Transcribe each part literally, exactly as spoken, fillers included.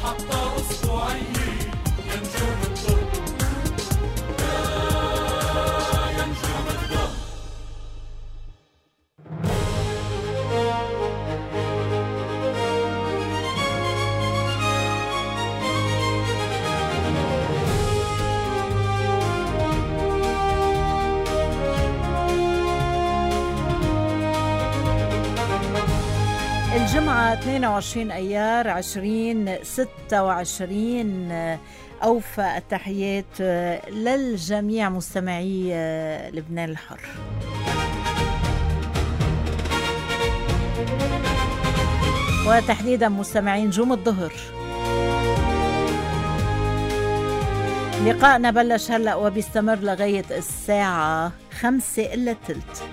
حتى أسبوعين يا نجوم الضب يا نجوم الضب. الجمعة اثنين وعشرين أيار عشرين ستة وعشرين. أوفى التحيات للجميع مستمعي لبنان الحر. وتحديدا مستمعين نجوم الظهر. لقاءنا بلش هلأ وبيستمر لغاية الساعة خمسة إلا تلت.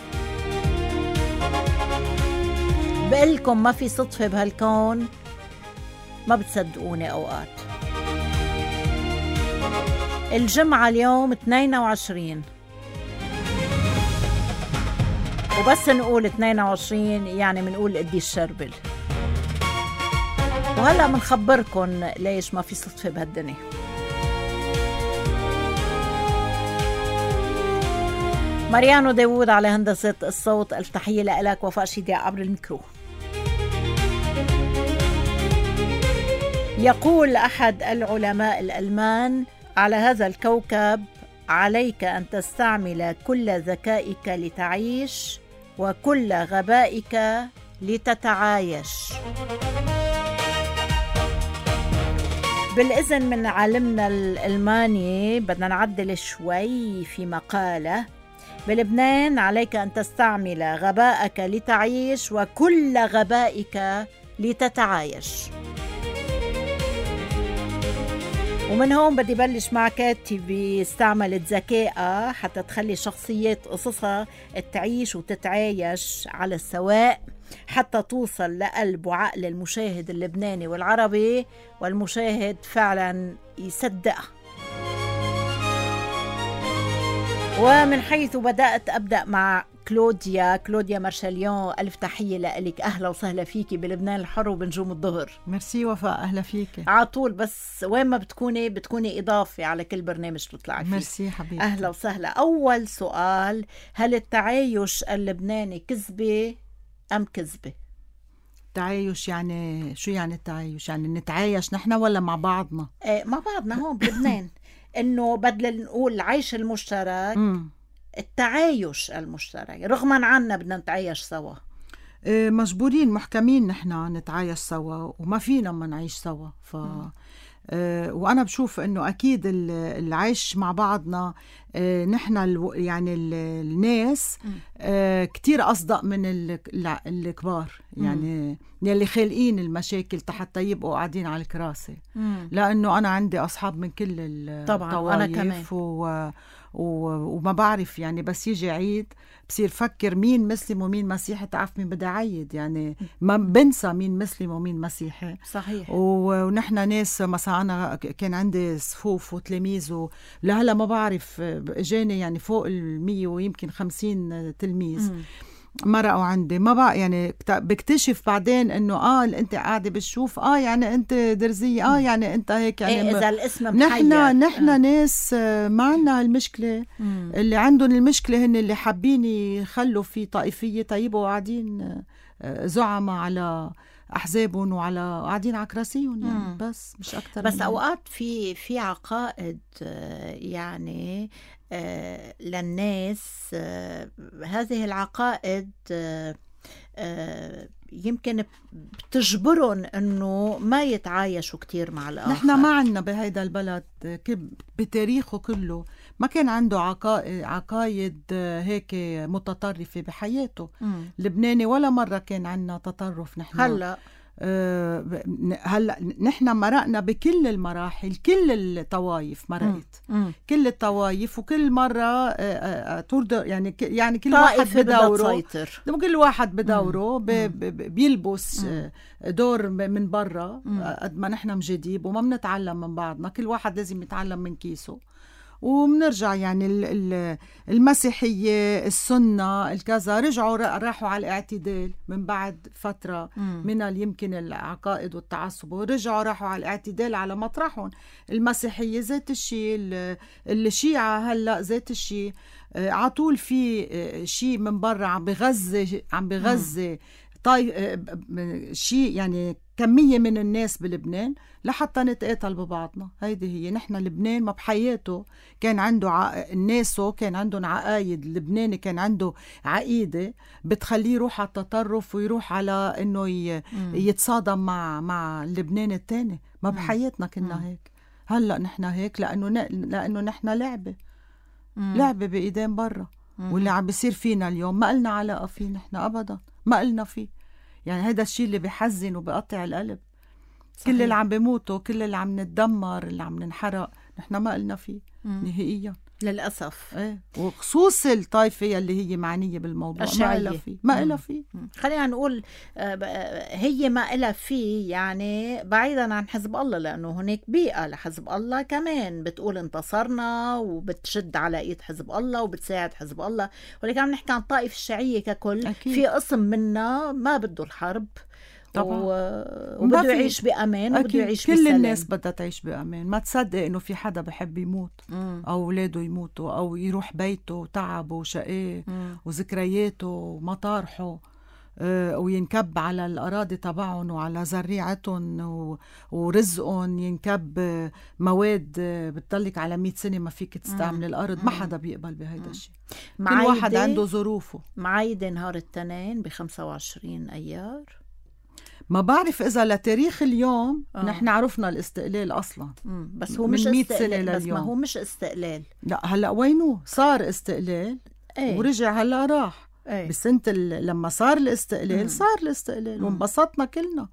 بقلكم ما في صدفة بهالكون، ما بتصدقوني أوقات. الجمعة اليوم اثنين وعشرين، وبس نقول اثنين وعشرين يعني منقول قدي الشربل. وهلأ منخبركن ليش ما في صدفة بهالدنيا. ماريانو داوود على هندسة الصوت. التحية لك وفاء شيدي عبر الميكرو. يقول أحد العلماء الألمان: على هذا الكوكب عليك أن تستعمل كل ذكائك لتعيش وكل غبائك لتتعايش. بالإذن من عالمنا الألماني بدنا نعدل شوي في مقاله. بلبنان عليك أن تستعمل غبائك لتعيش وكل غبائك لتتعايش. ومن هون بدي بلش مع كاتبة استعملت ذكائها حتى تخلي شخصيات قصصها تعيش وتتعايش على السواء، حتى توصل لقلب وعقل المشاهد اللبناني والعربي، والمشاهد فعلا يصدقها. ومن حيث بدأت أبدأ مع كلوديا كلوديا مارشاليون. ألف تحية لك، أهلا وسهلا فيكي بلبنان الحر وبنجوم الظهر. ميرسي وفاء، أهلا فيكي عطول، بس وين ما بتكوني بتكوني إضافة على كل برنامج بتطلعي فيه. ميرسي حبيبي، أهلا وسهلا. أول سؤال: هل التعايش اللبناني كذبة أم كذبة؟ التعايش يعني شو يعني التعايش؟ يعني نتعايش نحن ولا مع بعضنا؟ ايه مع بعضنا هون بلبنان. إنه بدل نقول العيش المشترك م. التعايش المشترك، رغما عنا بدنا نتعايش سوا. إيه مجبورين محكمين نحن نتعايش سوا وما فينا ما نعيش سوا. ف إيه وانا بشوف انه اكيد العيش مع بعضنا إيه نحن يعني الناس إيه كتير اصدق من الكبار، يعني يلي خالقين المشاكل حتى يبقوا قاعدين على الكراسي. مم. لانه انا عندي اصحاب من كل الطوائف و... و... وما بعرف يعني بس يجي عيد بصير فكر مين مسلم ومين مسيحي، تعرف مين بدي عيد، يعني ما بنسى مين مسلم ومين مسيحي. صحيح. و... ونحن ناس مثلا انا كان عندي صفوف وتلاميذ و... لهلا ما بعرف اجاني يعني فوق المية ويمكن خمسين تلميذ. مم. مرقوا عندي، ما بقى يعني بكتشف بعدين انه اه انت قاعده بتشوف اه يعني انت درزيه اه يعني انت هيك يعني إيه اذا الاسم نحن نحن آه. ناس ما عندنا هالمشكله. مم. اللي عندهم المشكله هن اللي حابين يخلوا في طائفيه طيبه وقاعدين زعماء على احزابهم وعلى قاعدين على كراسيهم يعني. بس مش اكتر. بس اوقات في في عقائد يعني آه للناس، آه هذه العقائد آه آه يمكن بتجبرهم انه ما يتعايشوا كتير مع الاخر. نحن ما عندنا بهيدا البلد بتاريخه كله ما كان عنده عقائد عقايد هيك متطرفه بحياته. مم. لبناني ولا مره كان عندنا تطرف. نحن هلا أه هلا نحن مرقنا بكل المراحل، كل الطوائف مرقت. مم. كل الطوائف وكل مره أه أه تردر يعني يعني كل واحد بدوره، كل واحد بدوره بيلبس مم. دور من برا. قد ما نحن مجديب وما بنتعلم من بعضنا، كل واحد لازم يتعلم من كيسه. ومنرجع يعني ال- ال- المسيحية السنة الكذا رجعوا را- راحوا على الاعتدال من بعد فترة من ال- يمكن العقائد والتعصب، ورجعوا راحوا على الاعتدال على مطرحهم. المسيحية ذات الشيء، ال- الشيعة هلأ ذات الشيء، آه، عطول في آه، شيء من برا عم بغزة عم بغزة طيب شيء يعني كمية من الناس بلبنان لحتى نتقاتل ببعضنا. هيدي هي نحن لبنان ما بحياته كان عنده ع... الناسو كان عندهم عقايد. اللبناني كان عنده عقيدة بتخليه يروح على التطرف ويروح على انه ي... يتصادم مع مع اللبنان التاني. ما بحياتنا كنا هيك. هلا نحن هيك لانه ن... لانه نحن لعبة لعبة بإيدين برا. واللي عم بيصير فينا اليوم ما قلنا علاقة فيه نحن أبدا، ما قلنا فيه. يعني هذا الشيء اللي بيحزن وبيقطع القلب. صحيح. كل اللي عم بيموتوا، كل اللي عم نتدمر، اللي عم ننحرق، نحن ما قلنا فيه مم. نهائيا للأسف. ايه، وخصوص الطائفة اللي هي معنية بالموضوع ما إلها فيه ما إلها فيه. خلينا نقول هي ما إلها فيه يعني بعيدا عن حزب الله، لأنه هناك بيئة لحزب الله كمان بتقول انتصرنا وبتشد على إيد حزب الله وبتساعد حزب الله. ولكن عم نحكي عن الطائفة الشيعية ككل. أكيد. في قسم منا ما بده الحرب طبعا. و... وبده يعيش بأمان وبده يعيش كل بسلام. الناس بدها تعيش بأمان. ما تصدق إنه في حدا بحب يموت مم. أو أولاده يموتوا أو يروح بيته وتعبه وشقاه وذكرياته ومطارحه آه وينكب على الأراضي تبعهم وعلى زريعتهم و... ورزقهم، ينكب مواد بتضلك على مئة سنة ما فيك تستعمل مم. الأرض. ما حدا بيقبل بهيدا الشيء. كل واحد عنده ظروفه. معايدة نهار التنين بخمسة وعشرين أيار. ما بعرف إذا لتاريخ اليوم آه. نحن عرفنا الاستقلال أصلا. مم. بس هو مش استقلال. بس ما هو مش استقلال. لا هلأ وينه صار استقلال. ايه؟ ورجع هلأ راح. ايه؟ بسنة لما صار الاستقلال مم. صار الاستقلال وانبسطنا كلنا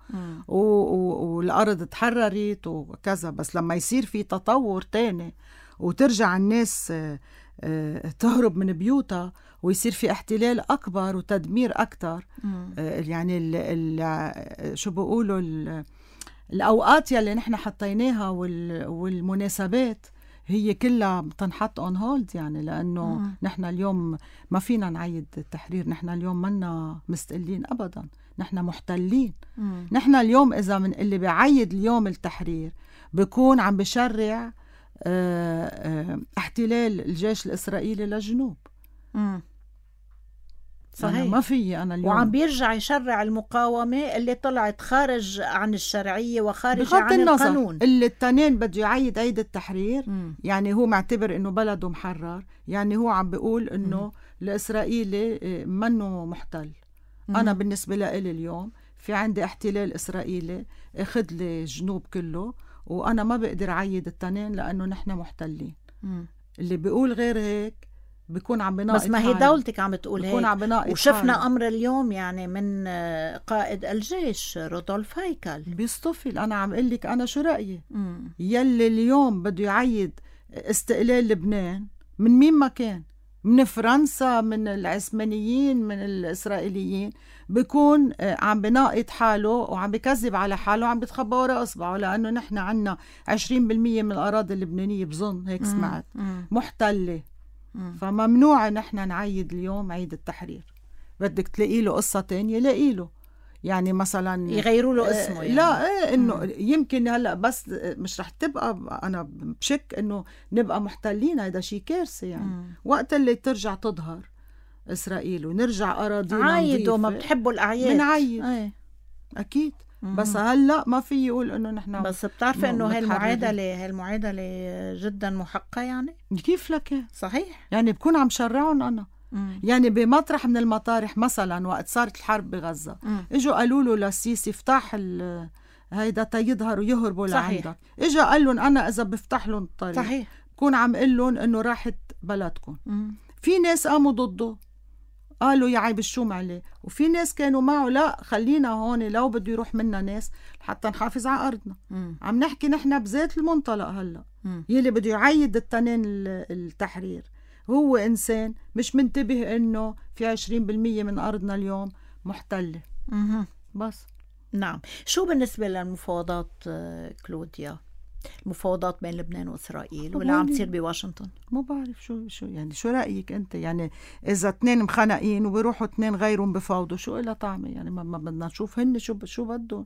و... و... والأرض تحررت وكذا. بس لما يصير في تطور تاني وترجع الناس تهرب من بيوتها ويصير في احتلال أكبر وتدمير أكتر، يعني ال ال شو بقولوا الأوقات يلي نحن حطيناها وال والمناسبات هي كلها تنحط on hold. يعني لأنه مم. نحن اليوم ما فينا نعيد التحرير. نحن اليوم منا مستقلين أبدا، نحن محتلين. مم. نحن اليوم إذا من اللي بيعيد اليوم التحرير بيكون عم بشرع اه اه احتلال الجيش الإسرائيلي للجنوب. مم. صحيح. ما في أنا اليوم وعم بيرجع يشرع المقاومة اللي طلعت خارج عن الشرعية وخارج عن النظر. القانون. اللي التنين بده يعيد عيد التحرير م. يعني هو معتبر إنه بلده محرر. يعني هو عم بيقول إنه الإسرائيلي منه محتل. م. أنا بالنسبة لي اليوم في عندي احتلال إسرائيلي أخذ لي الجنوب كله وأنا ما بقدر عيد التنين لأنه نحن محتلين. م. اللي بيقول غير هيك بيكون عم بناقض. بس ما هي دولتك عم بتقول هيك. عم وشفنا حالي. أمر اليوم يعني من قائد الجيش رودولف هيكل بيصطفل. أنا عم قل لك أنا شو رأيي. مم. يلي اليوم بده يعيد استقلال لبنان من مين ما كان، من فرنسا، من العثمانيين، من الإسرائيليين، بيكون عم بناقض حاله وعم بكذب على حاله وعم بتخبى وراء أصبعه. لأنه نحن عنا عشرين بالمية من الأراضي اللبنانية بظن هيك سمعت مم. محتلة. مم. فممنوع نحن نعيد اليوم عيد التحرير. بدك تلاقي له قصة تانية لاقي له. يعني مثلا يغيروا له اسمه يعني. لا ايه انه مم. يمكن هلا بس مش رح تبقى. انا بشك انه نبقى محتلين. هذا شيء كارثة يعني. مم. وقت اللي ترجع تظهر اسرائيل ونرجع اراضينا عايدوا ما بتحبوا الاعياد بنعيد ايه. اكيد. مم. بس هلا ما في يقول انه نحن. بس بتعرفي انه هاي المعادله هاي المعادله جدا محقه يعني. كيف لك؟ صحيح. يعني بكون عم شرعهم انا. مم. يعني بمطرح من المطارح مثلا وقت صارت الحرب بغزه مم. اجوا قالوا له للسيسي افتح هيدا تيظهروا يهربوا لعندك. اجا قال لهم انا اذا بفتح لهم الطريق صحيح بكون عم قل لهم انه راحت بلدكم. مم. في ناس قاموا ضده قالوا يا عيب الشوم عليه، وفي ناس كانوا معه لا خلينا هون لو بده يروح منا ناس حتى نحافظ على أرضنا. مم. عم نحكي نحن بذات المنطلق هلأ. مم. يلي بده يعيد التنين التحرير هو إنسان مش منتبه إنه في عشرين بالمية من أرضنا اليوم محتلة. مم. بس نعم. شو بالنسبة للمفاوضات كلوديا؟ المفاوضات بين لبنان وإسرائيل طب واللي عم هولي- تصير بواشنطن؟ ما بعرف شو شو يعني شو رأيك أنت؟ يعني إذا اثنين مخنقين وبيروحوا اثنين غيرهم بفاوضوا، شو إلها طعمة؟ يعني ما, ما بدنا نشوف هن شو شو بدهم.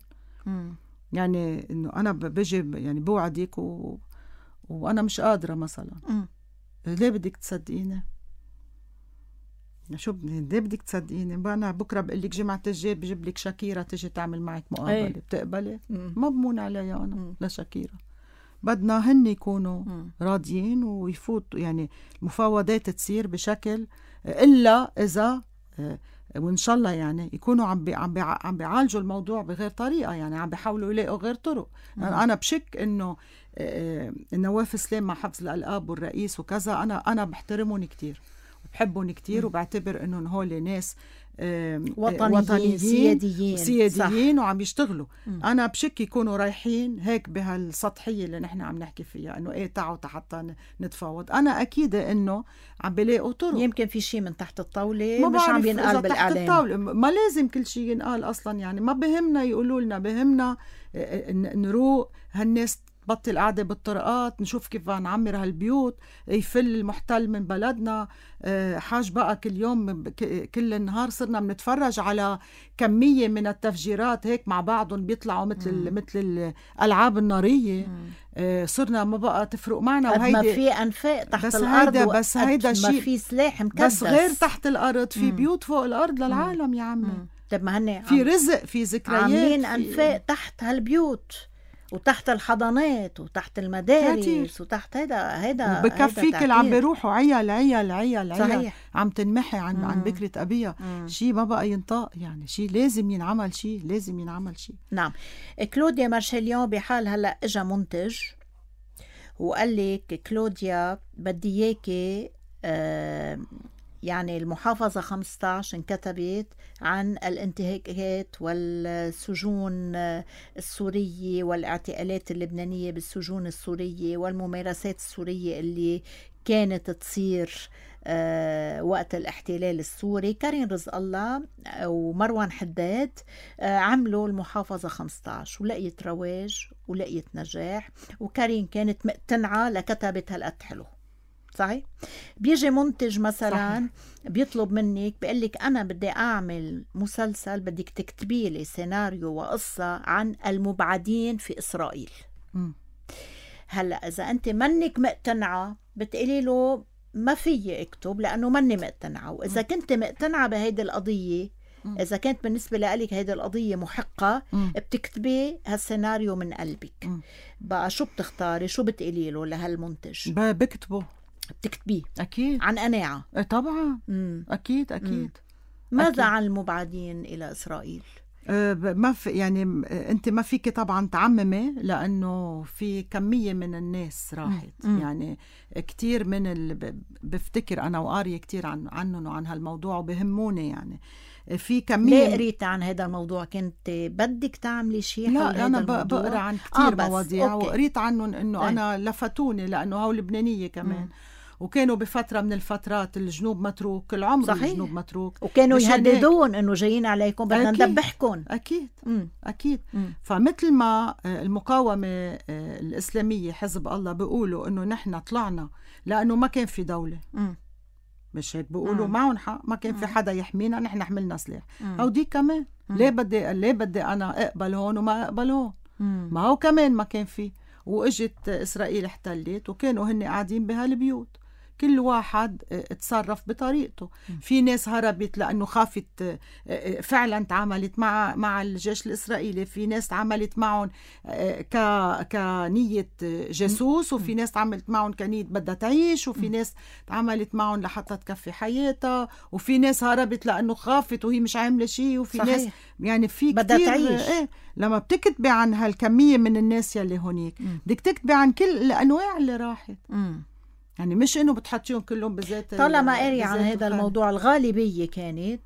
يعني إنه أنا ب- بجي ب- يعني بوعدك و... وأنا مش قادرة مثلا. مم. ليه بدك تصدقيني؟ شو بدي ليه بدك تصدقيني؟ بقى أنا بكرة بقول لك جمعة الجاي بجيب لك شاكيرا تجي تعمل معك مقابلة، أي. بتقبلي؟ مم. ما بمون عليها أنا مم. لشاكيرا. بدنا هن يكونوا مم. راضيين ويفوتوا، يعني المفاوضات تصير بشكل إلا إذا آه، وإن شاء الله يعني يكونوا عم بي عم بي عم بيعالجوا الموضوع بغير طريقة، يعني عم بيحاولوا يلاقوا غير طرق. أنا أنا بشك إنه آه، النواف سليم مع حفظ الألقاب والرئيس وكذا، أنا أنا بحترمهم كتير وبحبهم كتير وبعتبر إنهم هول ناس آه، وطنيين, وطنيين سياديين, سياديين وعم يشتغلوا. مم. أنا بشك يكونوا رايحين هيك بهالسطحية اللي نحن عم نحكي فيها، إنه إيه تعوا حتى نتفاوض. أنا أكيد إنه عم بلاقوا طرق. يمكن في شيء من تحت الطاولة ما مش عم بعرف ينقال إذا تحت بالإعلام. الطاولة، ما لازم كل شيء ينقال أصلا. يعني ما بهمنا يقولوا لنا، بهمنا نروق هالناس بطل قاعدة بالطرقات، نشوف كيف نعمر هالبيوت، يفل المحتل من بلدنا. حاج بقى كل يوم كل النهار صرنا بنتفرج على كمية من التفجيرات هيك مع بعضهم بيطلعوا مثل مم. مثل الألعاب النارية. مم. صرنا ما بقى تفرق معنا. قد ما وهيدي في أنفاق تحت بس الأرض، هيدا بس هيدا ما شيء في سلاح مكدس. بس غير تحت الأرض في مم. بيوت فوق الأرض للعالم يا عمي. مم. طب ما هن في رزق، في ذكريات، عاملين في... أنفاق تحت هالبيوت وتحت الحضانات وتحت المدارس كتير. وتحت هيدا هيدا بكفيك اللي عم بيروحوا عيال عيال عيال عيال صحيح. عم تنمحي عن عن بكرة أبيها. شيء ما بقى ينطق، يعني شيء لازم ينعمل، شيء لازم ينعمل شيء. نعم. كلوديا مارشاليون بحال هلا اجا منتج وقال لك كلوديا بدي اياكي آه يعني المحافظة خمسة عشر انكتبت عن الانتهاكات والسجون السورية والاعتقالات اللبنانية بالسجون السورية والممارسات السورية اللي كانت تصير أه وقت الاحتلال السوري. كارين رزق الله ومروان حداد أه عملوا المحافظة خمسة عشر ولقيت رواج ولقيت نجاح، وكارين كانت مقتنعة لكتبت هالقد حلو. صحيح. بيجي منتج مثلا صحيح. بيطلب منك بيقول لك أنا بدي أعمل مسلسل، بدك تكتبي لي سيناريو وقصة عن المبعدين في إسرائيل. م. هلأ إذا أنت منك مقتنعة بتقولي له ما فيي اكتب لأنه مني مقتنعة، وإذا م. كنت مقتنعة بهيدي القضية، م. إذا كانت بالنسبة لك هيدي القضية محقة، م. بتكتبي هالسيناريو من قلبك. م. بقى شو بتختاري؟ شو بتقولي له لهالمنتج؟ بكتبه بتكتبيه أكيد عن قناعة. طبعا. مم. أكيد أكيد. مم. ماذا أكيد. عن المبعدين إلى إسرائيل؟ أه ما في يعني أنت ما فيك طبعا تعممي، لأنه في كمية من الناس راحت. مم. يعني كتير من ال... بفتكر أنا وقارية كتير عن عنهم وعن هالموضوع وبهموني. يعني في كمية. ليه قريت عن هذا الموضوع؟ كنت بدك تعملي شيء؟ لا أنا بقرأ عن كتير آه مواضيع أوكي. وقريت عنهم إنه طيب. أنا لفتوني لأنه هاو لبنانية كمان. مم. وكانوا بفترة من الفترات الجنوب متروك، العمر صحيح. الجنوب متروك، وكانوا يهددون إنه جايين عليكم بدنا ندبحكم. أكيد مم. أكيد. مم. فمثل ما المقاومة الإسلامية حزب الله بيقولوا إنه نحن طلعنا لأنه ما كان في دولة. مم. مش هيك بيقولوا معهم حق، ما كان في حدا يحمينا، نحن حملنا سلاح. أو دي كمان مم. ليه بدي ليه بدي أنا أقبل هون وما أقبل هون؟ مم. ما هو كمان ما كان في، وإجت إسرائيل احتلت وكانوا هن قاعدين بهالبيوت، كل واحد اتصرف بطريقته. في ناس هربت لأنه خافت، فعلا تعاملت مع مع الجيش الإسرائيلي، في ناس تعاملت معهم ك كنية جاسوس، وفي ناس تعاملت معهم كنية بدها تعيش، وفي ناس تعاملت معهم لحتى تكفي حياتها، وفي ناس هربت لأنه خافت وهي مش عاملة شيء، وفي صحيح. ناس يعني في بدها كتير تعيش. ايه لما بتكتبي عن هالكمية من الناس يلي هونيك بدك تكتبي عن كل الأنواع اللي راحت. م. يعني مش إنه بتحطيهم كلهم بذات. طالما قاري عن هذا الموضوع، الغالبية كانت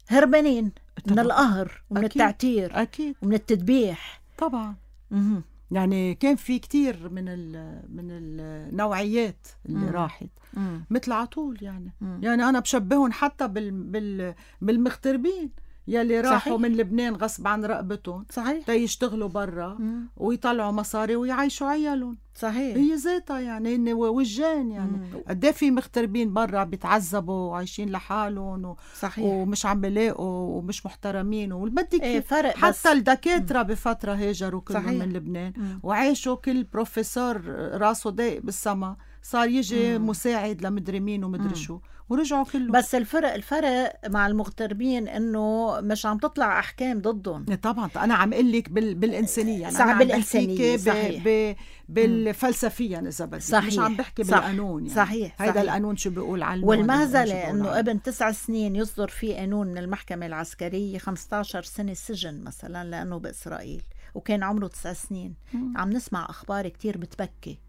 هربانين من القهر ومن أكيد. التعتير أكيد. ومن التذبيح طبعا. م- يعني كان في كتير من ال من النوعيات اللي م- راحت م- مثل عطول. يعني م- يعني أنا بشبههم حتى بال بال بالمغتربين. يلي راحوا صحيح. من لبنان غصب عن رقبتهم صحيح تيشتغلوا برا مم. ويطلعوا مصاري ويعيشوا عيالهم. صحيح هي ذاتها يعني هن وجان يعني. قد في مغتربين برا بيتعذبوا وعايشين لحالهم و... صحيح ومش عم بيلاقوا ومش محترمين والبدك ايه فرق حتى بس. الدكاترة بفترة هاجروا كلهم صحيح. من لبنان مم. وعاشوا كل بروفيسور راسه ضايق بالسما صار يجي مم. مساعد لمدري مين ومدري شو ورجعوا كلهم. بس الفرق الفرق مع المغتربين انه مش عم تطلع احكام ضدهم. طبعا انا عم اقول لك بال... بالانسانيه يعني صح بالانسانيه صحيح ب... ب... بالفلسفيا اذا بدك مش عم بحكي صح. بالقانون يعني. صحيع هيدا القانون شو بيقول عنه والمهزله انه ابن تسع سنين يصدر فيه قانون من المحكمه العسكريه خمسة عشر سنه سجن مثلا لانه باسرائيل وكان عمره تسع سنين. مم. عم نسمع اخبار كتير بتبكي.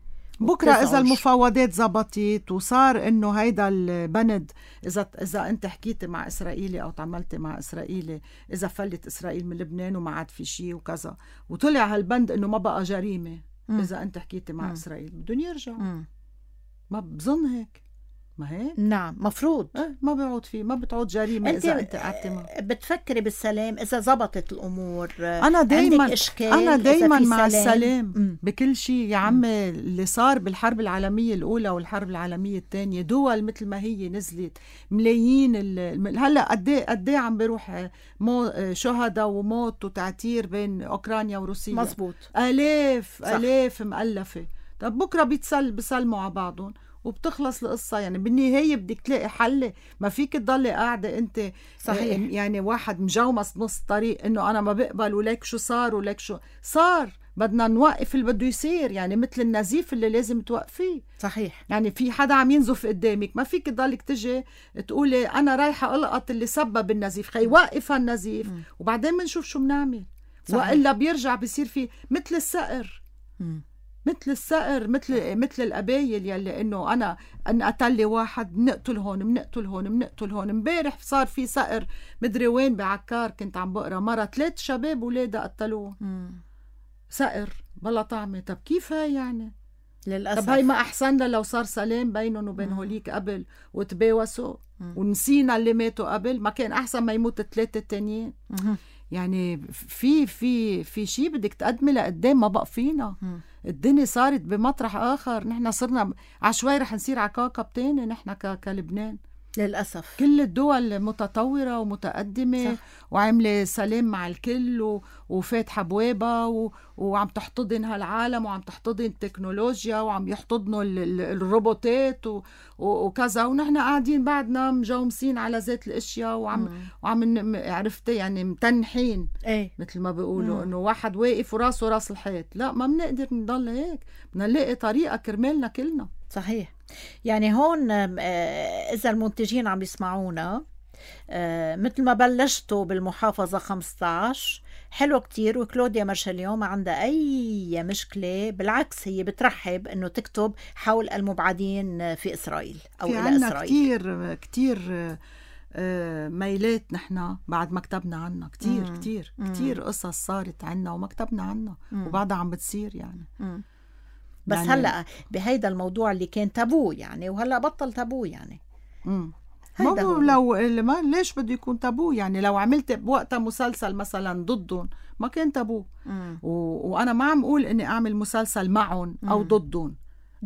بكره اذا المفاوضات زبطت وصار انه هيدا البند اذا اذا انت حكيت مع اسرائيلي او تعاملت مع اسرائيلي اذا فلت اسرائيل من لبنان وما عاد في شيء وكذا وطلع هالبند انه ما بقى جريمه. مم. اذا انت حكيت مع مم. اسرائيل بدهم يرجعوا. ما بظن هيك ما هيك؟ نعم مفروض ايه ما بيعود فيه ما بتعود جريمه انت اذا انت قعدتي بتفكري بالسلام اذا زبطت الامور. انا دايما انا دايما مع سلام. السلام م. بكل شيء يا عمي. اللي صار بالحرب العالميه الاولى والحرب العالميه الثانيه دول مثل ما هي نزلت ملايين ال... هلا قد ايه قد ايه عم بيروح مو... شهداء وموت وتعتير بين اوكرانيا وروسيا. مزبوط الاف صح. الاف مؤلفه. طب بكره بيتسل بيسلموا على بعضهم وبتخلص القصة. يعني بالنهاية بدك تلاقي حل. ما فيك تضلي قاعدة انت صحيح. يعني واحد مجومس نص طريق انه انا ما بقبل وليك شو صار وليك شو صار. بدنا نوقف اللي بده يصير يعني مثل النزيف اللي لازم توقفيه. صحيح. يعني في حدا عم ينزف قدامك ما فيك تضلك تجي تقولي انا رايحة القط اللي سبب النزيف خي وقف النزيف م. وبعدين بنشوف شو بنعمل. وإلا بيرجع بيصير في مثل السقر م. مثل السقر مثل مثل القبايل يلي انه انا ان قتل لي واحد بنقتل هون بنقتل هون بنقتل هون. امبارح صار في سقر مدري وين بعكار كنت عم بقرا مره ثلاث شباب ولادها قتلوه. سقر بلا طعمه. طب كيف هاي يعني للاسف؟ طب هاي ما احسن لو صار سلام بينهم وبين هوليك قبل وتباوسوا ونسينا اللي ماتوا قبل. ما كان احسن ما يموت الثلاثه التانيين؟ يعني في في في شيء بدك تقدمي لقدام ما بقى فينا. م. الدنيا صارت بمطرح آخر. نحن صرنا عشوائي رح نصير على كوكب تاني نحن كلبنان للأسف. كل الدول متطورة ومتقدمة صح. وعملة سلام مع الكل و... وفاتحة بوابة و... وعم تحتضن هالعالم وعم تحتضن التكنولوجيا وعم يحتضنوا ال... ال... الروبوتات و... و... وكذا ونحن قاعدين بعدنا مجومسين على ذات الاشياء وعم مم. وعم ن... عرفتي يعني متنحين ايه؟ مثل ما بيقولوا انه واحد واقف وراسه راس الحيط. لا ما بنقدر نضل هيك. بدنا نلاقي طريقة كرمالنا كلنا. صحيح. يعني هون إذا المنتجين عم يسمعونا مثل ما بلشتوا بالمحافظة خمسة عشر حلو كتير وكلوديا مارشاليون ما عندها أي مشكلة. بالعكس هي بترحب أنه تكتب حول المبعدين في إسرائيل أو في إلى إسرائيل. كتير كتير ميلات نحن بعد ما كتبنا عنها كتير مم. كتير مم. كتير قصص صارت عنا وما كتبنا عنها وبعدها عم بتصير يعني مم. بس يعني هلأ بهيدا الموضوع اللي كان تابو يعني وهلأ بطل تابو يعني. امم ما هو لو ما ليش بده يكون تابو يعني. لو عملت بوقتها مسلسل مثلا ضدهم ما كان تابو. و... وانا ما عم اقول اني اعمل مسلسل معهم او ضدهم.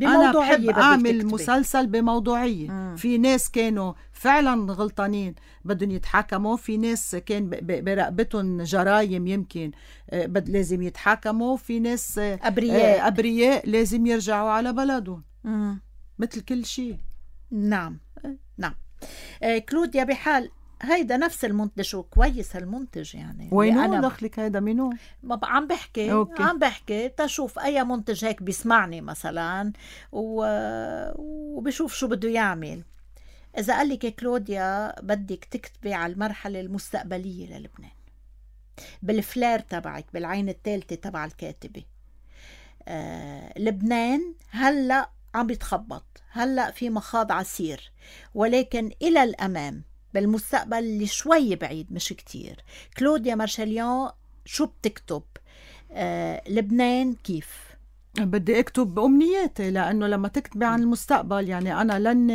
انا بحب اعمل مسلسل بموضوعيه. مم. في ناس كانوا فعلا غلطانين بدهم يتحاكموا. في ناس كان برقبتهم جرايم يمكن بد لازم يتحاكموا. في ناس ابرياء ابرياء لازم يرجعوا على بلدهم. مم. مثل كل شيء. نعم نعم. آه كلوديا بحال هيدا نفس المنتج وكويس المنتج يعني. وينو أنا دخلك هيدا منو؟ ما عم بحكي أوكي. عم بحكي تشوف أي منتج هيك بيسمعني مثلا و... وبشوف شو بده يعمل. إذا قال لك كلوديا بدك تكتبي على المرحلة المستقبلية للبنان بالفلير تبعك بالعين الثالثة تبع الكاتبة. آه... لبنان هلأ عم بيتخبط. هلأ في مخاض عسير ولكن إلى الأمام بالمستقبل اللي شوي بعيد مش كتير. كلوديا مارشاليون شو بتكتب؟ آه، لبنان كيف؟ بدي اكتب امنياتي، لانه لما تكتبي عن المستقبل يعني انا لن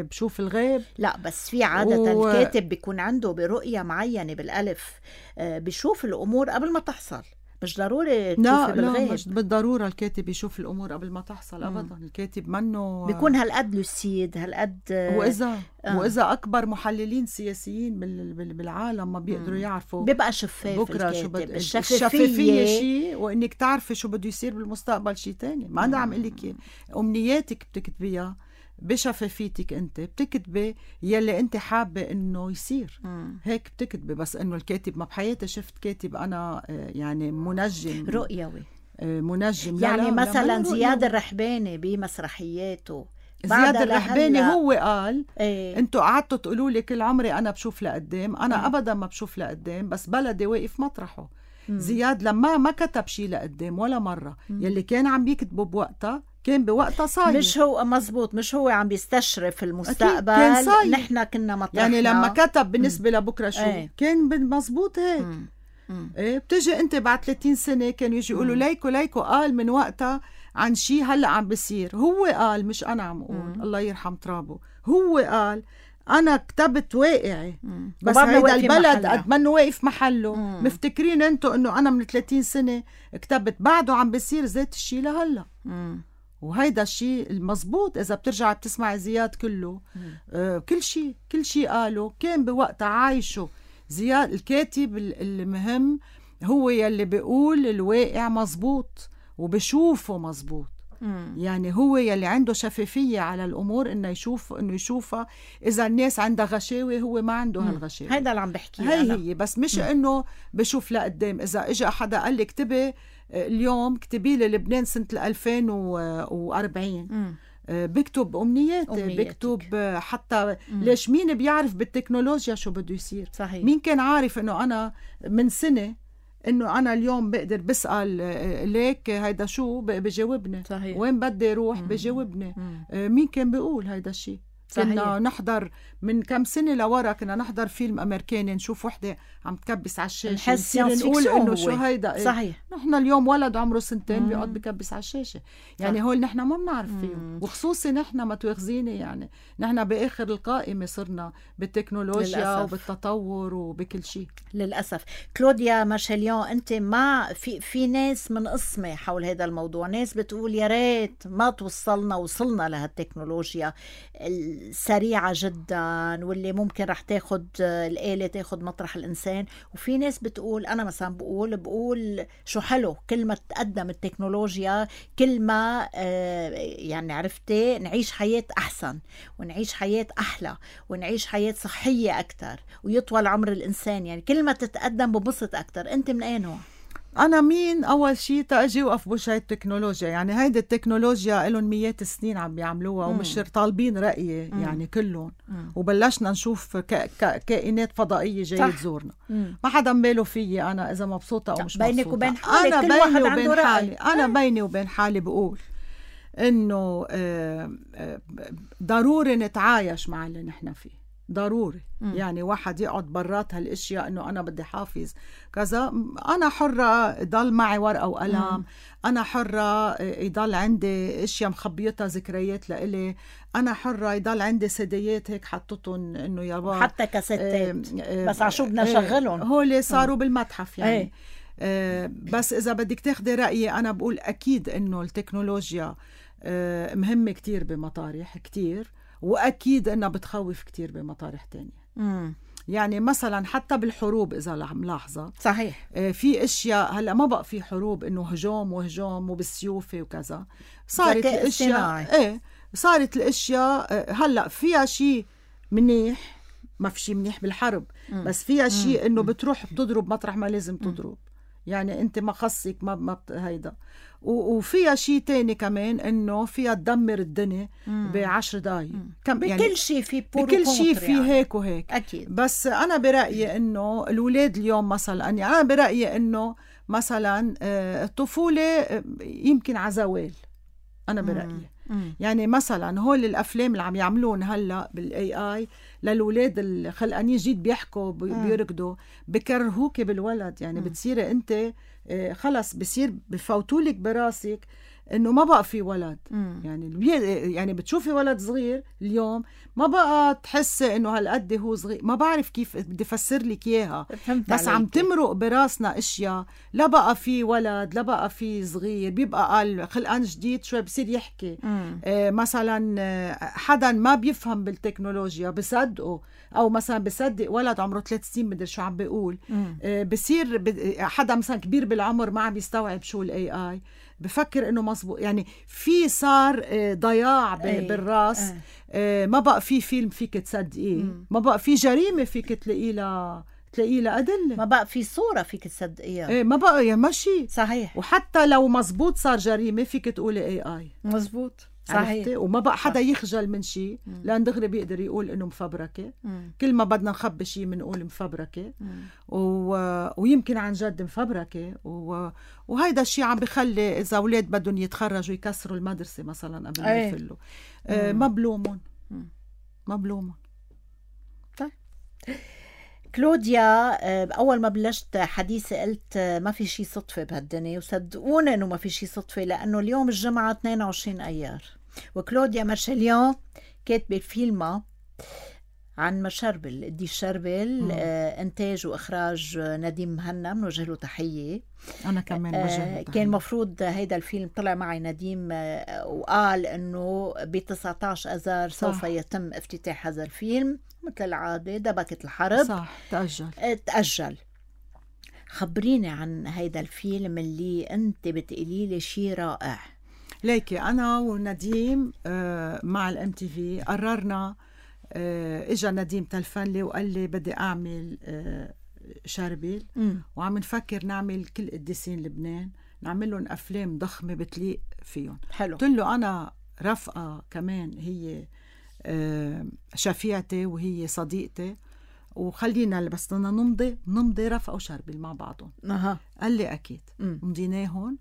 بشوف الغيب. لا بس في عادة و- الكاتب بيكون عنده برؤية معينة بالألف، آه، بيشوف الأمور قبل ما تحصل، مش ضروري لا تشوفي لا بالغيب. مش بالضرورة الكاتب يشوف الأمور قبل ما تحصل أبدا. الكاتب منه بيكون هالقد لوسيد هالقد آه، وإذا آه. وإذا أكبر محللين سياسيين بال- بال- بالعالم ما بيقدروا يعرفوا بيبقى شفاف بكرة شو الكاتب. بد... الشفافية, الشفافية شيء، وإنك تعرفي شو بده يصير بالمستقبل شيء تاني. ما أنا عم قلك إياه. أمنياتك بتكتبيها بشفافيتك، أنت بتكتبي يلي أنت حابة إنه يصير. مم. هيك بتكتبي. بس إنه الكاتب، ما بحياتي شفت كاتب أنا آه، يعني منجم رؤيوي آه، منجم. لا يعني لا مثلا لا زياد الرحباني بمسرحياته زياد بعدها الرحباني لهلأ. هو قال ايه انتوا قعدتوا تقولوا لي كل عمري انا بشوف لقدام، انا مم. ابدا ما بشوف لقدام، بس بلدي واقف مطرحه. مم. زياد لما ما كتب شيء لقدام ولا مره، يلي كان عم بيكتبه بوقتها كان بوقتها صاير. مش هو مزبوط، مش هو عم بيستشرف المستقبل، كان صاير. نحن كنا مطرحنا. يعني لما كتب بالنسبه لبكره شو ايه. كان مزبوط هيك. مم. مم. ايه بتجي انت بعد ثلاثين سنه كانوا يجي يقولوا ليكو ليكو قال من وقتها عن شيء هلا عم بيصير. هو قال، مش انا عم اقول. مم. الله يرحم ترابه. هو قال انا كتبت واقعي، مم. بس وبعدنا هيدا واقفين البلد محلها. قد منه واقف محله. مم. مفتكرين انتو انه انا من ثلاثين سنه كتبت، بعده عم بيصير ذات الشيء لهلا. مم. وهيدا الشيء المزبوط. إذا بترجع بتسمع زياد كله آه كل شيء كل شيء قاله كان بوقتها عايشه. زياد الكاتب المهم هو يلي بيقول الواقع مزبوط وبشوفه مزبوط. مم. يعني هو يلي عنده شفافية على الأمور، إنه يشوف إنه يشوفها. إذا الناس عندها غشاوة هو ما عنده هالغشاوة. هيدا اللي عم بحكيه هي أنا. هي بس مش إنه بشوف لقدام. إذا إجا حدا قال لي اكتبي اليوم، اكتبي لي لبنان سنة ألفين وأربعين، مم. بكتب أمنياتي. أمنياتك. بكتب حتى ليش مين بيعرف بالتكنولوجيا شو بده يصير؟ صحيح. مين كان عارف إنه أنا من سنة إنه أنا اليوم بقدر بسأل ليك هيدا شو بجاوبني، صحيح. وين بدي روح بجاوبني. مين كان بيقول هيدا الشيء؟ كنا نحضر من كم سنة لورا، كنا نحضر فيلم أمريكاني نشوف وحدة عم تكبس على الشاشة، نحس نصير نقول فيكسيون إنه هو. شو هيدا. إيه؟ صحيح. نحن اليوم ولد عمره سنتين بيقعد بكبس على الشاشة. يعني صح. هول نحن ما بنعرف فيه، وخصوصي نحن ما تواخذيني يعني نحن بآخر القائمة صرنا بالتكنولوجيا للأسف. وبالتطور وبكل شيء. للأسف. كلوديا مارشاليون، أنت ما في في ناس من قسمة حول هذا الموضوع، ناس بتقول يا ريت ما توصلنا وصلنا لهالتكنولوجيا السريعة جدا واللي ممكن رح تاخد الآلة تاخد مطرح الإنسان، وفي ناس بتقول، أنا مثلا بقول بقول شو حلو كل ما تقدم التكنولوجيا، كل ما آه يعني عرفتي نعيش حياة أحسن ونعيش حياة أحلى ونعيش حياة صحية أكتر ويطول عمر الإنسان. يعني كل ما تتقدم ببسط أكتر. أنت من أي نوع؟ أنا مين أول شيء تأجي وقف بوجه التكنولوجيا. يعني هيدي التكنولوجيا لهم مئات السنين عم بيعملوها ومش طالبين رأيي يعني كلهم. وبلشنا نشوف ك... ك... كائنات فضائية جاية تزورنا. مم. ما حدا مباله فيي أنا إذا مبسوطة أو مش بينك مبسوطة. وبين حالك أنا كل بيني واحد وبين عنده رأي. حالي. أنا بيني وبين حالي بقول إنه ضروري نتعايش مع اللي نحن فيه. ضروري. مم. يعني واحد يقعد برات هالاشياء انه انا بدي حافظ كذا. انا حرة يضل معي ورقة وقلم. مم. انا حرة يضل عندي اشياء مخبيتها ذكريات لإلي. انا حرة يضل عندي سيديات هيك حطتهم انه يابا حتى كاسيتات بس عشو بدنا نشغلهم. هول صاروا بالمتحف يعني. ايه. آه بس اذا بدك تاخدي رأيي انا بقول اكيد انه التكنولوجيا آه مهمة كتير بمطارح كتير، وأكيد أنها بتخوف كتير بمطارح تانية. مم. يعني مثلا حتى بالحروب إذا ملاحظة صحيح آه في أشياء هلأ ما بقى في حروب إنه هجوم وهجوم وبالسيوف وكذا. صارت الأشياء إيه صارت الأشياء آه هلأ فيها شيء منيح، ما في شيء منيح بالحرب. مم. بس فيها شيء إنه بتروح بتضرب مطرح ما لازم تضرب. يعني أنت ما خصك ما ما هيدا. وفيها شيء تاني كمان إنه فيها تدمر الدنيا بعشر دقايق. بكل يعني شيء في بكل شيء في يعني. هيك وهيك أكيد. بس أنا برأيي إنه الأولاد اليوم مثلا يعني أنا برأيي إنه مثلا الطفولة يمكن عزوال. أنا برأيي مم. يعني مثلا هول الأفلام اللي عم يعملون هلأ بالاي اي للولاد الخلقانين جديد بيحكوا بيركضوا بكرهوك بالولد. يعني مم. بتصيري أنت خلص بصير بفوتولك براسك إنه ما بقى في ولد. مم. يعني البي- يعني بتشوفي ولد صغير اليوم ما بقى تحسي إنه هالقد هو صغير. ما بعرف كيف بدي أفسر لك إياها، فهمت بس عم عليكي. تمرق براسنا اشياء. لا بقى في ولد، لا بقى في صغير، بيبقى قال خلقان جديد شوي بصير يحكي. مم. آه مثلا آه، حدا ما بيفهم بالتكنولوجيا بصدقه، او مثلا بصدق ولد عمره ثلاث سنين مدري شو عم بيقول. مم. آه بصير ب- حدا مثلا كبير بالعمر ما عم يستوعب شو الاي اي، بفكر انه مزبوط. يعني في صار آه، ضياع ب- أي. بالراس. آه. آه، ما بقى في فيلم فيك تصدقيه، ما بقى في جريمة فيك تلاقيه لها تلاقيه لها أدلة. ما بقى في صورة فيك تصدقيها. إيه ما بقى يا ماشي صحيح. وحتى لو مزبوط صار جريمة فيك تقولي اي اي. مزبوط. عرفتي؟ صحيح. وما بقى حدا يخجل من شيء، لأن دغري بيقدر يقول إنه مفبركة. مم. كل ما بدنا نخبي شيء بنقول مفبركة. مم. و... ويمكن عن جد مفبركة. و... وهيدا الشيء عم بخلي إذا أولاد بدهم يتخرجوا يكسروا المدرسة مثلا قبل ما أي. يفلوا. آه ما بلومهم ما بلومهم. كلوديا، آه، أول ما بلشت حديثي قلت آه، ما في شي صدفة بهالدنيا، وصدقوني إنه ما في شي صدفة، لأنه اليوم الجمعة اثنين وعشرين أيار، وكلوديا مارشاليون كاتبة فيلمها عن مشربل دي الشربل. آه إنتاج وإخراج آه، نديم مهنا، بنوجه له تحية. أنا كمان آه وجه كان مفروض هيدا الفيلم طلع معي نديم آه وقال إنه ب تسعة عشر أذار سوف صح. يتم افتتاح هذا الفيلم. مثل العادة دبكت الحرب. صح تأجل. آه، تأجل. خبريني عن هيدا الفيلم اللي أنت بتقولي لي شيء رائع. ليكي أنا ونديم آه مع الام تي في قررنا. آه إجا نديم تلفن لي وقال لي بدي أعمل آه شربيل، مم. وعم نفكر نعمل كل قديسين لبنان، نعمل لهم أفلام ضخمة بتليق فيهم. حلو. قلت له أنا رفقة كمان هي آه شفيعتي وهي صديقتي، وخلينا بس بدنا نمضي نمضي رفقة وشربيل مع بعضهم. أها. قال لي أكيد. مم. مضيناهن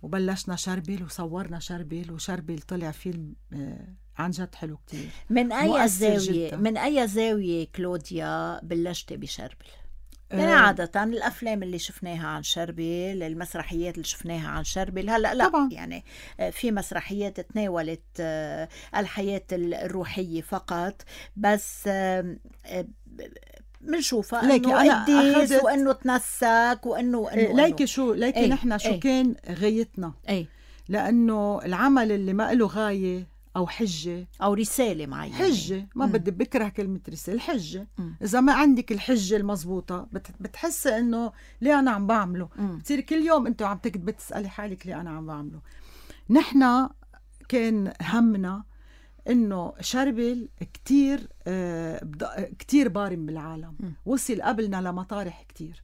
وبلشنا شربيل وصورنا شربيل، وشربيل طلع فيلم آه عن جد حلو كتير. من أي مؤثر زاوية جداً. من أي زاوية كلوديا بلشتي بشربل؟ يعني آه. عادة الأفلام اللي شفناها عن شربل، المسرحيات اللي شفناها عن شربل، هلأ لا طبعاً. يعني آه، في مسرحيات تناولت آه، الحياة الروحية فقط، بس آه، آه، منشوفها ليكي إنه أنا قديس أخذت- وإنه تنسك وإنه وإنه آه، ليكي شو ليكي إيه، نحن شو إيه. كان غايتنا، أي لأنه العمل اللي ما له غاية أو حجة. أو رسالة معينة. حجة ما بدي بكره كلمة رسالة. حجة مم. إذا ما عندك الحجة المضبوطة بت- بتحسي إنه ليه أنا عم بعمله. مم. بتصير كل يوم أنت عم تكتب تسألي حالك ليه أنا عم بعمله. نحن كان همنا إنه شربل كتير آه بد- كتير بارم بالعالم. مم. وصل قبلنا لمطارح كتير،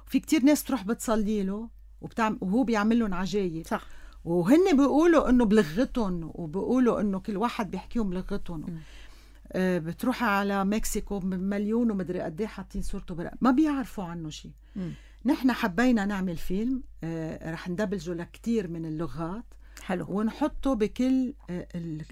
وفي كتير ناس تروح بتصلي له وبتعمل وهو بيعمل لهم عجايب. صح. وهن بيقولوا انه بلغتهم، وبيقولوا انه كل واحد بيحكيهم بلغتهم. آه بتروحي على مكسيكو مليون ومدري قد ايه حاطين صورته برق، ما بيعرفوا عنه شيء. مم. نحن حبينا نعمل فيلم آه رح ندبلجه لكتير من اللغات، حلو. ونحطه بكل آه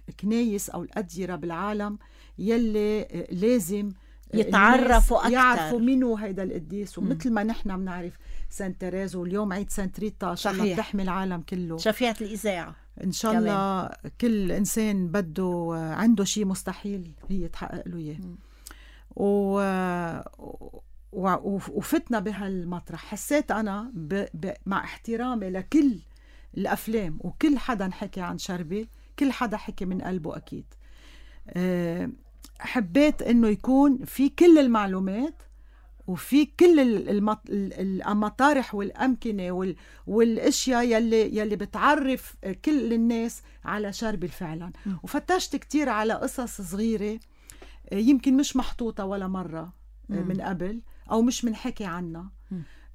الكنايس او الاديره بالعالم يلي آه لازم آه يتعرفوا الناس أكتر. يعرفوا منو هيدا القديس. ومثل ما نحن بنعرف سان تيريز، واليوم عيد سانت ريتا ان شاء الله صحيح. بتحمي العالم كله شفيعة الإذاعة ان شاء الله. كل انسان بده عنده شيء مستحيل هي تحقق له اياه. و... و... وفتنا بهالمطرح. حسيت انا ب... ب... مع احترامي لكل الافلام وكل حدا حكي عن شربل، كل حدا حكي من قلبه اكيد. أه... حبيت انه يكون في كل المعلومات وفي كل المط... المطارح والأمكنة وال... والأشياء يلي يلي بتعرف كل الناس على شربل فعلا. م. وفتشت كتير على قصص صغيرة يمكن مش محطوطة ولا مرة م. من قبل أو مش منحكي عنها.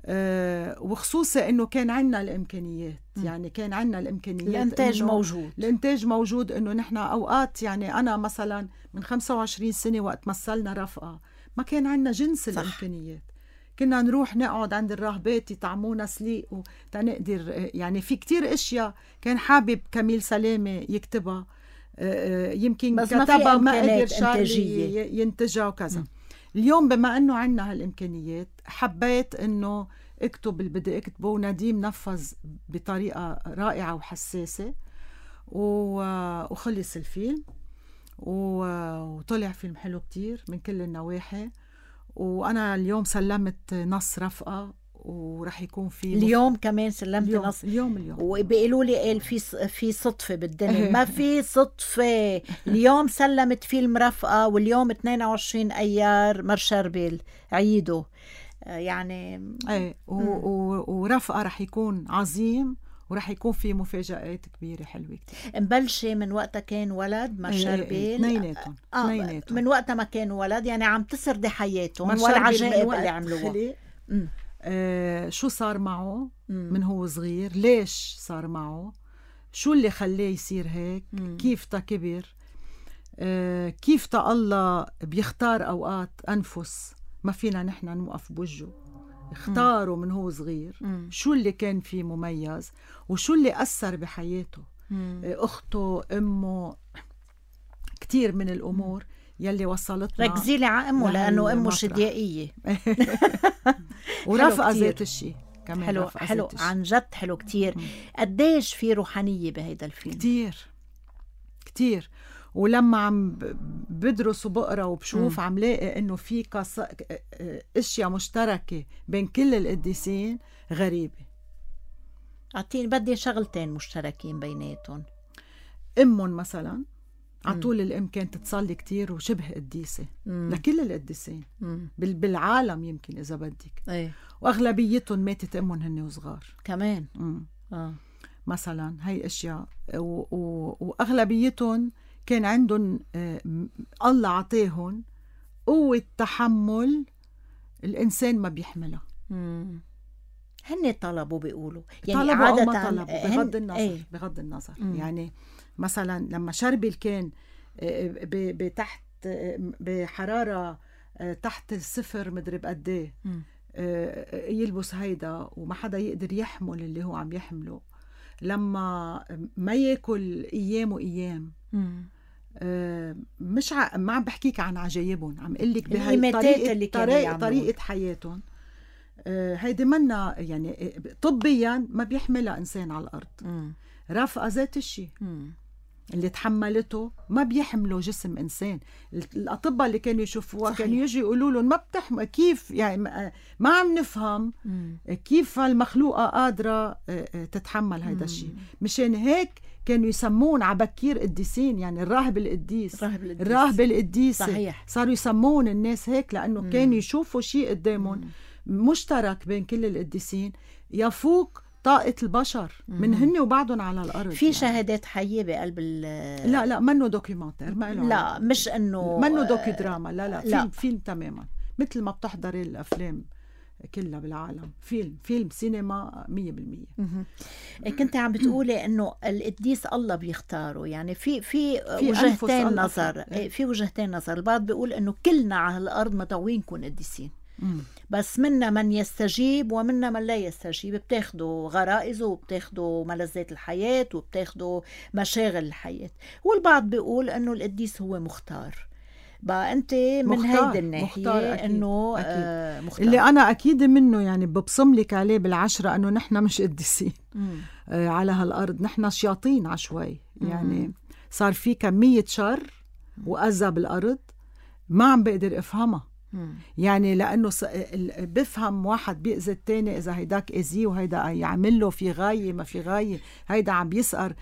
أه وخصوصا إنه كان عنا الإمكانيات. م. يعني كان عنا الإمكانيات، الإنتاج موجود. الإنتاج موجود. إنه نحن أوقات يعني أنا مثلا من خمسة وعشرين سنة وقت مثلنا رفقة ما كان عنا جنس صح. الإمكانيات. كنا نروح نقعد عند الراهبات يطعمونا سليق وتنقدر يعني في كتير اشياء كان حابب كميل سلامة يكتبها يمكن كتبها ما قدر شارلي ينتجها وكذا. م. اليوم بما انه عنا هالامكانيات حبيت انه اكتب اللي بدي اكتبه. ونديم نفذ بطريقة رائعة وحساسة وخلص الفيلم، وطلع فيلم حلو كتير من كل النواحي. وأنا اليوم سلمت نص رفقة، ورح يكون في اليوم مف... كمان سلمت اليوم نص اليوم اليوم وبيقولوا لي قال في في صدفة بالدنيا. ما في صدفة. اليوم سلمت فيلم رفقة، واليوم اثنين وعشرين أيار مرشربيل عيده يعني. ايه ورفقة رح يكون عظيم، ورح يكون في مفاجآت كبيرة حلوة كتير. مبلشة من وقتها كان ولد مرشربيل. اثنيناتهم آه من وقتها ما كان ولد، يعني عم تسردي حياتهم والعجائب اللي عملوها. آه شو صار معه مم. من هو صغير، ليش صار معه، شو اللي خلاه يصير هيك، مم. كيف تا كبر، آه كيف تا الله بيختار أوقات أنفس ما فينا نحن نوقف بوجهه، اختاره من هو صغير. مم. شو اللي كان فيه مميز، وشو اللي أثر بحياته، مم. أخته، أمه، كتير من الأمور يلي وصلتنا. ركزي لي على أمه لأنه أمه شديائية. ورفقة ذات الشيء كمان. حلو حلو عن جد حلو كتير. قديش في روحانية بهيدا الفيلم؟ كتير كتير. ولما عم بدرس وبقرا وبشوف مم. عم لاقي انه في قص... اشياء مشتركة بين كل القديسين غريبة. اعطيني بدي شغلتين مشتركين بيناتهم. امهم مثلا عطول الام كانت تصلي كتير وشبه قديسة مم. لكل القديسين بال... بالعالم يمكن اذا بدك. ايه. واغلبيتهم ماتت امهم هن وصغار كمان. اه مثلا هاي اشياء و... و... واغلبيتهم كان عندهم آه الله عطيهم قوة تحمل الإنسان ما بيحملها. مم. هن طلبوا بيقولوا يعني طلبوا عادة أو ما طلبوا بغض النظر. ايه؟ بغض النظر مم. يعني مثلا لما شربل كان بتحت بحرارة تحت الصفر مدري بقديه يلبس هيدا وما حدا يقدر يحمل اللي هو عم يحمله، لما ما ياكل أيام وأيام. مم. آه مش ع... ما عم بحكيك عن عجايبهم، عم قلك بهاي طريقة, طريقة, طريقة حياتهم. آه هيدي منا يعني طبيا ما بيحملها إنسان على الأرض. مم. رفقة ذات الشيء اللي تحملته ما بيحملوا جسم إنسان. الأطباء اللي كانوا يشوفوها كانوا يجي يقولوا لهم ما بتحمل، كيف يعني ما عم نفهم مم. كيف المخلوقة قادرة تتحمل هيدا الشيء. مشان هيك كانوا يسمون عبكير قديسين، يعني الراهب القديس، الراهب القديس. صحيح. صاروا يسمون الناس هيك لأنه مم. كانوا يشوفوا شيء قدامهم مشترك بين كل القديسين يفوق طاقة البشر من هن وبعضهم على الأرض. في يعني شهادات حية بقلب ال لا لا منه دوكيومنتير، ما له لا مش إنه منه دوكي دراما، لا لا, لا. فيلم فيلم تماما مثل ما بتحضري الأفلام كلها بالعالم. فيلم فيلم سينما مية بالمية. كنت عم بتقولي إنه القديس الله بيختاره، يعني في في وجهتين نظر. في وجهتين نظر. البعض بيقول إنه كلنا على الأرض مدعوين نكون قديسين، بس منا من يستجيب ومنا من لا يستجيب. بتاخدوا غرائزه وبتاخدوا ملذات الحياة وبتاخدوا مشاغل الحياة. والبعض بيقول انه القديس هو مختار. بقى انت من هيدا الناحية انه آه مختار. اللي انا اكيد منه يعني ببصم لك عليه بالعشرة انه نحن مش قديسين آه على هالارض، نحن شياطين عشوائي. يعني صار في كمية شر وأذى بالارض ما عم بقدر افهمها. مم. يعني لأنه بفهم واحد بيأذي التاني إذا هيداك أذيه وهيدا يعمل له في غاية ما في غاية، هيدا عم بيسقر،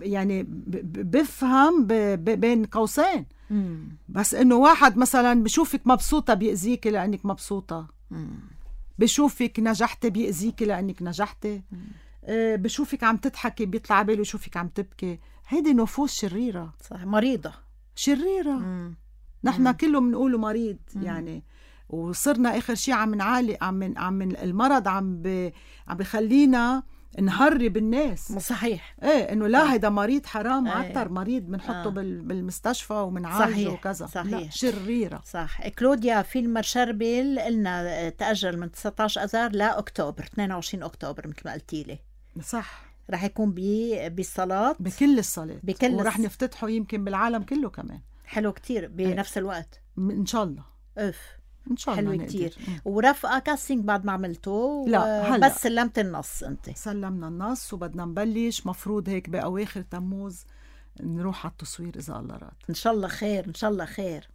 يعني بفهم بين قوسين. مم. بس إنه واحد مثلا بشوفك مبسوطة بيأذيك لأنك مبسوطة. مم. بشوفك نجحتي بيأذيك لأنك نجحتي. آه بشوفك عم تضحكي بيطلع باله يشوفك عم تبكي. هيدي نفوس شريرة، صح، مريضة شريرة. مم. نحن كله منقوله مريض. مم. يعني وصرنا آخر شيء عم نعالي عم عم المرض عم ب... عم بخلينا نهرب الناس. صحيح. ايه انه لا هيدا مريض حرام، عطر ايه. مريض بنحطه آه. بالمستشفى ومنعالجه وكذا. صحيح. لا شريرة. صح. كلوديا فيلم مرشربيل قلنا تأجل من تسعة عشر أذار لأكتوبر اثنين وعشرين أكتوبر مثل ما قلتي لي. صح. رح يكون بي بالصلاة بكل الصلاة بكل ورح نفتتحه يمكن بالعالم كله كمان. حلو كتير بنفس الوقت إن شاء الله. اف ان شاء الله حلو نقدر. كتير. مم. ورفقة كاستنج بعد ما عملته؟ لا، هلأ. بس سلمت النص انت؟ سلمنا النص وبدنا نبلش، مفروض هيك بأواخر تموز نروح على التصوير إذا الله راد. ان شاء الله خير، ان شاء الله خير.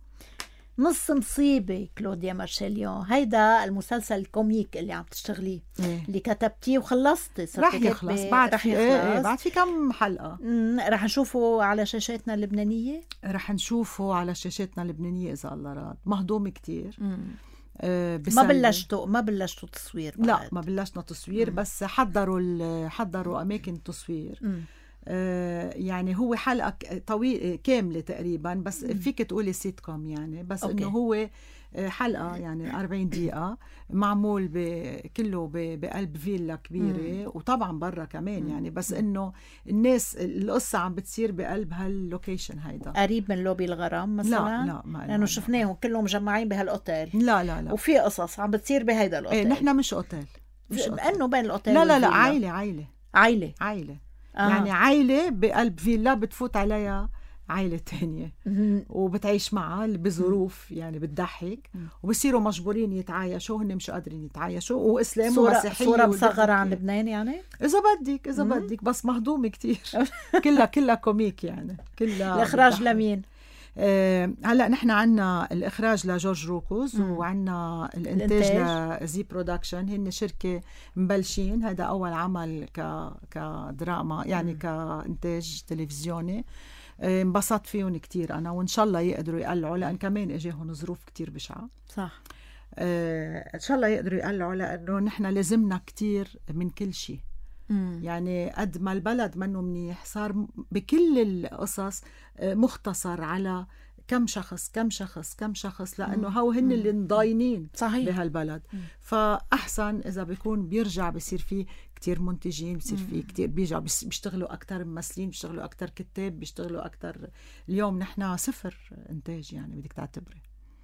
نص مصيبة كلوديا مارشاليون، هيدا المسلسل الكوميك اللي عم تشتغليه، إيه. اللي كتبتيه وخلصتي، رح يخلص بعد رح في يخلص. إيه إيه بعد في كم حلقة. مم، رح نشوفه على شاشاتنا اللبنانية. رح نشوفه على شاشاتنا اللبنانية إذا الله راد. مهضوم كتير. مم. آه ما بلشتوا ما بلشتوا تصوير بعد. لا، ما بلشنا تصوير. مم. بس حضروا ال- حضروا أماكن التصوير. مم. آه يعني هو حلقة طويلة كاملة تقريبا، بس مم. فيك تقولي سيت كوم يعني، بس أوكي. إنه هو حلقة يعني أربعين دقيقة، معمول كله بقلب فيلا كبيرة. مم. وطبعا برا كمان يعني، بس إنه الناس القصة عم بتصير بقلب هاللوكيشن هيدا. قريب من لوبي الغرام مثلا؟ لا لا، ما لأنه شفناهم كلهم مجمعين بهالأوتيل. لا لا لا، وفي قصص عم بتصير بهيدا الأوتيل. ايه نحن مش أوتيل، مش لأنه بين الأوتيل لا لا لا، والفيلا. عائلة عائلة عائلة عائلة آه. يعني عائلة بقلب فيلا بتفوت عليها عائلة تانية وبتعيش معها بظروف يعني بتضحك، وبصيروا مجبورين يتعايشوا، هن مش قادرين يتعايشوا، وإسلام ومسيحية. صورة مصغرة عن لبنان يعني إذا بدك إذا مم. بدك بس مهضومة كتير. كلها كلها كوميك يعني، كلها. الإخراج لمين؟ آه هلا نحن عنا الإخراج لجورج روكوز، وعنا الإنتاج لزي برودكشن. هن شركة مبلشين، هذا أول عمل ك كدراما يعني، مم. كإنتاج تلفزيوني. انبسطت فيهم كتير أنا، وإن شاء الله يقدروا يقلعوا، لأن كمان إجاهم ظروف كتير بشعة. صح. آه إن شاء الله يقدروا يقلعوا، لأنه نحن لازمنا كتير من كل شيء. مم. يعني قد ما البلد منه منيح، صار بكل القصص مختصر على كم شخص كم شخص كم شخص، لأنه هو هن اللي مضاينين بهالبلد. مم. فأحسن إذا بيكون بيرجع بيصير فيه كتير منتجين، بيصير فيه كتير بيرجع بيشتغلوا أكتر ممثلين، بيشتغلوا أكتر كتاب، بيشتغلوا أكتر. اليوم نحن صفر إنتاج يعني، بدك تعتبري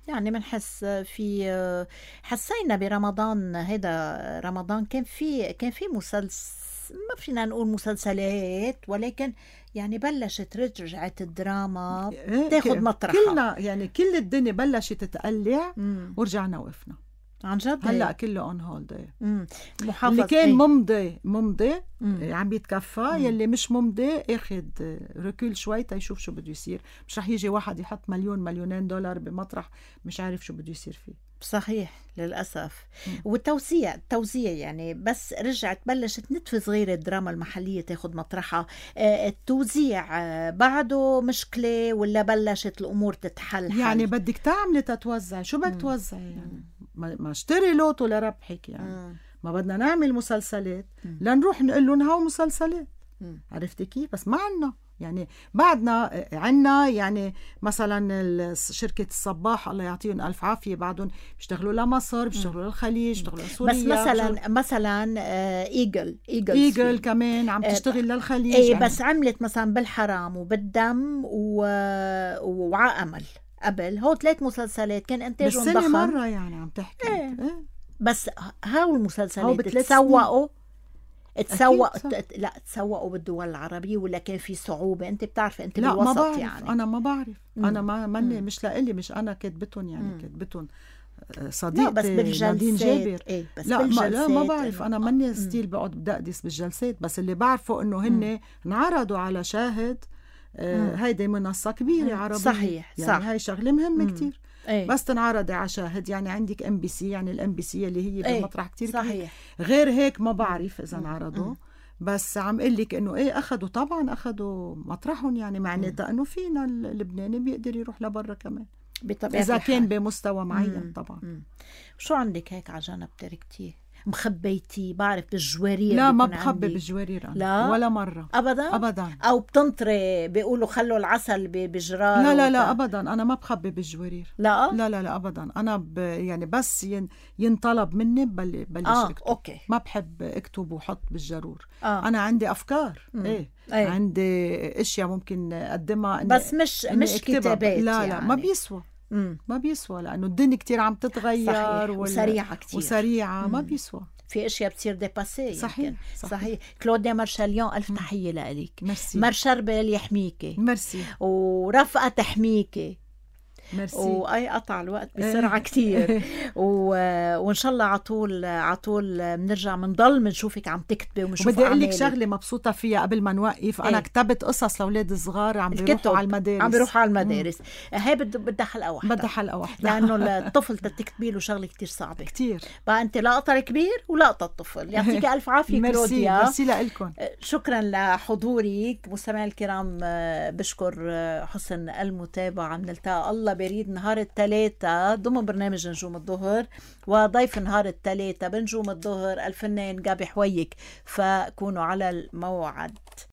يعني منحس في حسينا برمضان، هذا رمضان كان في كان في مسلسل، ما فينا نقول مسلسلات، ولكن يعني بلشت رجعت الدراما تاخد مطرحها. كلنا يعني كل الدنيا بلشت تتقلع، ورجعنا وقفنا عن جد. هلا كله اون هولد. محافظ اللي كان ايه؟ ممضي ممضي عم بيتكفى، يلي مش ممضي اخد ركول شوي تيشوف شو بده يصير. مش رح يجي واحد يحط مليون مليونين دولار بمطرح مش عارف شو بده يصير فيه. صحيح للأسف. مم. والتوزيع التوزيع يعني بس رجعت بلشت نتفة صغيرة الدراما المحلية تاخد مطرحها. آه التوزيع آه بعده مشكلة ولا بلشت الأمور تتحل؟ يعني بدك تعملي تتوزع، شو بدك توزعي يعني؟ ما اشتري لوتو لربحك يعني. مم. ما بدنا نعمل مسلسلات لنروح نقول لهم هاو مسلسلات. مم. عرفتي كيف؟ بس ما عنا يعني، بعدنا عنا يعني مثلا شركة الصباح الله يعطيهم ألف عافية، بعدهم بيشتغلوا لمصر، بيشتغلوا للخليج، بيشتغلوا لسوريا. بس مثلا بيشتغلوا... مثلا إيجل إيجل, إيجل كمان عم تشتغل للخليج. ايه يعني. بس عملت مثلا بالحرام وبالدم و... وعامل قبل هو ثلاث مسلسلات كان إنتاجهم ضخم. بس سنة مرة يعني عم تحكي. ايه. ايه. بس هاو المسلسلات تسوقوا تسوق ت... لا تسوقوا بالدول العربية ولا كان في صعوبة؟ انت بتعرفي انت لا بالوسط ما بعرف. يعني. انا ما بعرف. مم. انا ما مني مش لإلي، مش انا كاتبتهم يعني، كاتبتهم صديقتي بس بالجلسات جابر. ايه بس لا ما لا ما بعرف. انا مني مم. ستيل بقعد بدقدس بالجلسات، بس اللي بعرفه انه هن انعرضوا على شاهد. آه هيدي منصة كبيرة عربية. صحيح يعني صح. هاي شغلة مهمة مم. كتير. أيه. بس تنعرض على شاهد يعني. عندك ام بي سي يعني، الام بي سي اللي هي أيه. بمطرح كتير صحيح كبير. غير هيك ما بعرف اذا انعرضوا. بس عم قل لك انه ايه اخذوا طبعا اخذوا مطرحهم يعني، معناتها انه فينا اللبناني بيقدر يروح لبرا كمان بطبيعة اذا الحال. كان بمستوى معين. مم. طبعا. مم. شو عندك هيك على جنب تركتيه مخبيتي؟ بعرف بالجوارير. لا ما بخبي بالجوارير أنا. لا ولا مرة أبدا أبدا. أو بتنطري بيقولوا خلوا العسل بجرار. لا لا لا أبدا، أنا ما بخبي بالجوارير. لا لا لا لا أبدا. أنا ب يعني بس ين ينطلب مني بل بلش آه. أكتب. أوكي. ما بحب أكتب وحط بالجرور. آه. أنا عندي أفكار. إيه. أيه. عندي أشياء ممكن أقدمها بس مش مش كتابات. لا يعني. لا ما بيسوى. مم. ما بيسوى لأنه الدنيا كتير عم تتغير وال... وسريعة كتير وسريعة. ما بيسوى. في اشياء بتصير ديباسي. صحيح. صحيح صحيح. كلوديا مارشاليون الف تحيه لك. ميرسي. مار شربل يحميكي. ميرسي. ورفقه تحميكي. ميرسي. واي قطع الوقت بسرعه كتير و... وان شاء الله عطول عطول بنرجع بنضل بنشوفك عم تكتبي وبنشوف بدي اقول لك أعمالك. شغله مبسوطه فيها قبل ما نوقف. انا إيه؟ كتبت قصص لاولاد صغار عم الكتب بيروحوا على المدارس عم بيروحوا على المدارس. هي بد... بدها حلقه واحده، بدها حلقه واحده لانه الطفل تكتبي له شغله كتير صعبه كتير. بقى انت لقطه الكبير ولقطه الطفل. يعطيك الف عافيه ميرسي كلوديا. ميرسي لكم. شكرا لحضورك مستمعي الكرام. بشكر حسن المتابعة. بنلتقى الله بريد نهار الثلاثاء ضمن برنامج نجوم الظهر، وضيف نهار الثلاثاء بنجوم الظهر الفنان جابي حويك، فكونوا على الموعد.